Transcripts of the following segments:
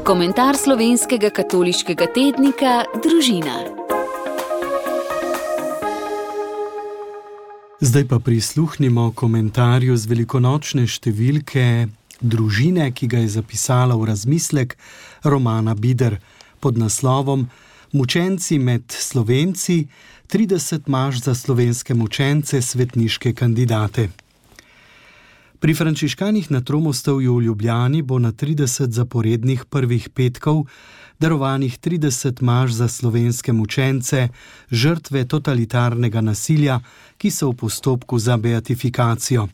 Komentar slovenskega katoliškega tednika Družina. Zdaj pa prisluhnimo komentarju z velikonočne številke Družine, ki ga je zapisala v razmislek Romana Bider pod naslovom Mučenci med Slovenci, 30 maš za slovenske mučence, svetniške kandidate. Pri frančiškanih na Tromostovju v Ljubljani bo na 30 zaporednih prvih petkov darovanih 30 maš za slovenske mučence, žrtve totalitarnega nasilja, ki so v postopku za beatifikacijo.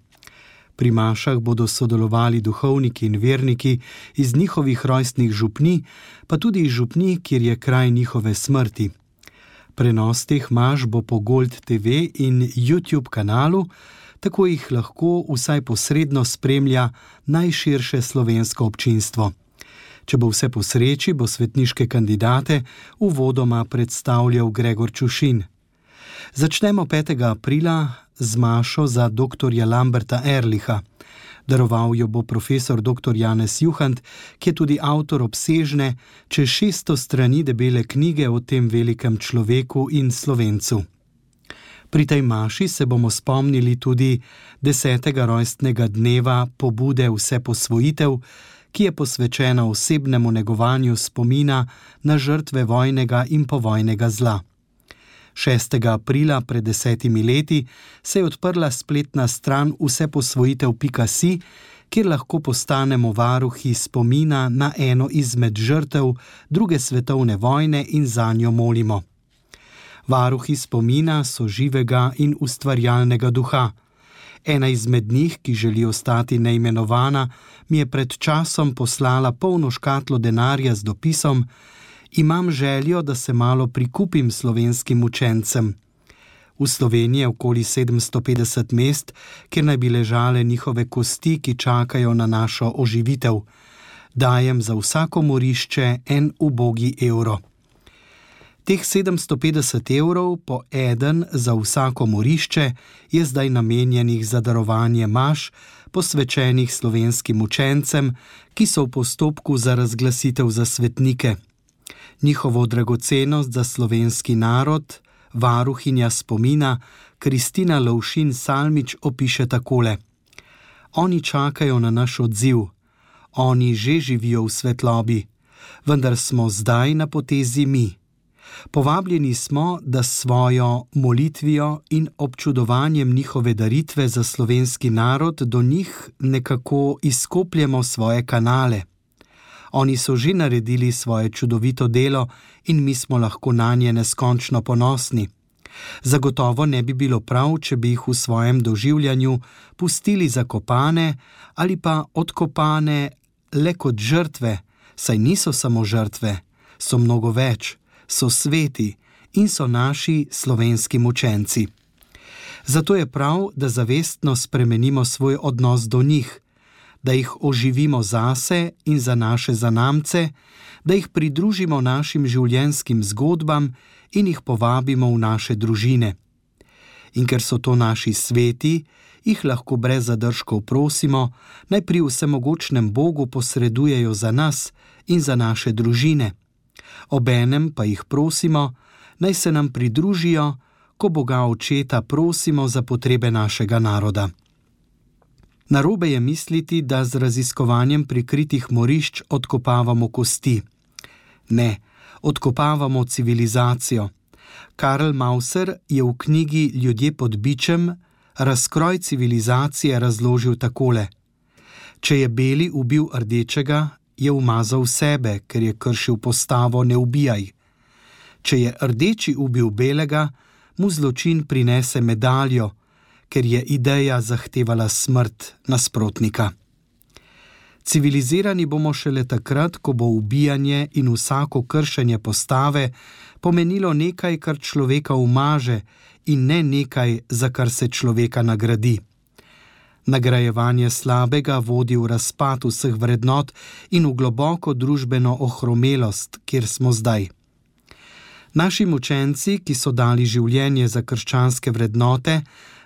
Pri mašah bodo sodelovali duhovniki in verniki iz njihovih rojstnih župnij, pa tudi iz župnij, kjer je kraj njihove smrti. Prenos teh maš bo po Gold TV in YouTube kanalu, tako jih lahko vsaj posredno spremlja najširše slovensko občinstvo. Če bo vse po sreči, bo svetniške kandidate uvodoma predstavljal Gregor Čušin. Začnemo 5. aprila z mašo za doktorja Lamberta Erlicha. Daroval jo bo profesor dr. Janez Juhant, ki je tudi avtor obsežne, čez 600 strani debele knjige o tem velikem človeku in Slovencu. Pri tej maši se bomo spomnili tudi 10. rojstnega dneva pobude Vseposvojitev, ki je posvečena osebnemu negovanju spomina na žrtve vojnega in povojnega zla. 6. aprila pred 10 leti se je odprla spletna stran vseposvojitev.si, kjer lahko postanemo varuhi spomina na eno izmed žrtev druge svetovne vojne in zanjo molimo. Varuhi spomina so živega in ustvarjalnega duha. Ena izmed njih, ki želi ostati neimenovana, mi je pred časom poslala polno škatlo denarja z dopisom: Imam željo, da se malo prikupim slovenskim učencem. V Sloveniji je okoli 750 mest, kjer naj bi ležale njihove kosti, ki čakajo na našo oživitev. Dajem za vsako morišče en ubogi evro. Teh 750 evrov po eden za vsako morišče je zdaj namenjenih za darovanje maš, posvečenih slovenskim učencem, ki so v postopku za razglasitev za svetnike. Njihovo dragocenost za slovenski narod varuhinja spomina Kristina Lovšin Salmič opiše takole: Oni čakajo na naš odziv, oni že živijo v svetlobi, vendar smo zdaj na potezi mi. Povabljeni smo, da s svojo molitvijo in občudovanjem njihove daritve za slovenski narod do njih nekako izkopljemo svoje kanale. Oni so že naredili svoje čudovito delo in mi smo lahko nanje neskončno ponosni. Zagotovo ne bi bilo prav, če bi jih v svojem doživljanju pustili zakopane ali pa odkopane le kot žrtve, saj niso samo žrtve, so mnogo več, so sveti in so naši slovenski mučenci. Zato je prav, da zavestno spremenimo svoj odnos do njih, da jih oživimo zase in za naše zanamce, da jih pridružimo našim življenjskim zgodbam in jih povabimo v naše družine. In ker so to naši sveti, jih lahko brez zadržkov prosimo, naj pri vsemogočnem Bogu posredujejo za nas in za naše družine. Obenem pa jih prosimo, naj se nam pridružijo, ko Boga Očeta prosimo za potrebe našega naroda. Narobe je misliti, da z raziskovanjem prikritih morišč odkopavamo kosti. Ne, odkopavamo civilizacijo. Karl Mauser je v knjigi Ljudje pod bičem razkroj civilizacije razložil takole: Če je beli ubil rdečega, je umazal sebe, ker je kršil postavo ne ubijaj. Če je rdeči ubil belega, mu zločin prinese medaljo, ker je ideja zahtevala smrt nasprotnika. Civilizirani bomo šele takrat, ko bo ubijanje in vsako kršenje postave pomenilo nekaj, kar človeka umaže, in ne nekaj, za kar se človeka nagradi. Nagrajevanje slabega vodi v razpad vseh vrednot in v globoko družbeno ohromelost, kjer smo zdaj. Naši mučenci, ki so dali življenje za krščanske vrednote,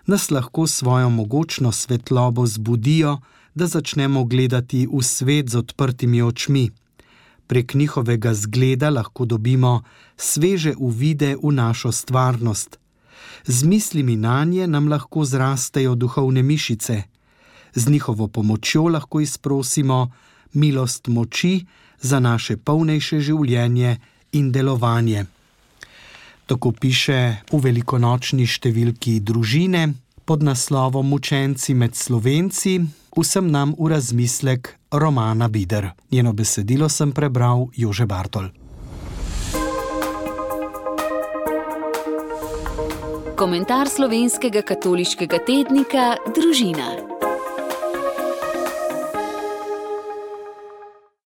nas lahko svojo mogočno svetlobo zbudijo, da začnemo gledati v svet z odprtimi očmi. Prek njihovega zgleda lahko dobimo sveže uvide v našo stvarnost. Z mislimi nanje nam lahko zrastejo duhovne mišice. Z njihovo pomočjo lahko izprosimo milost moči za naše polnejše življenje in delovanje. Tako piše v velikonočni številki Družine pod naslovom Mučenci med Slovenci, vsem nam v razmislek Romana Bider. Njeno besedilo sem prebral Jože Bartol. Komentar slovenskega katoliškega tednika Družina.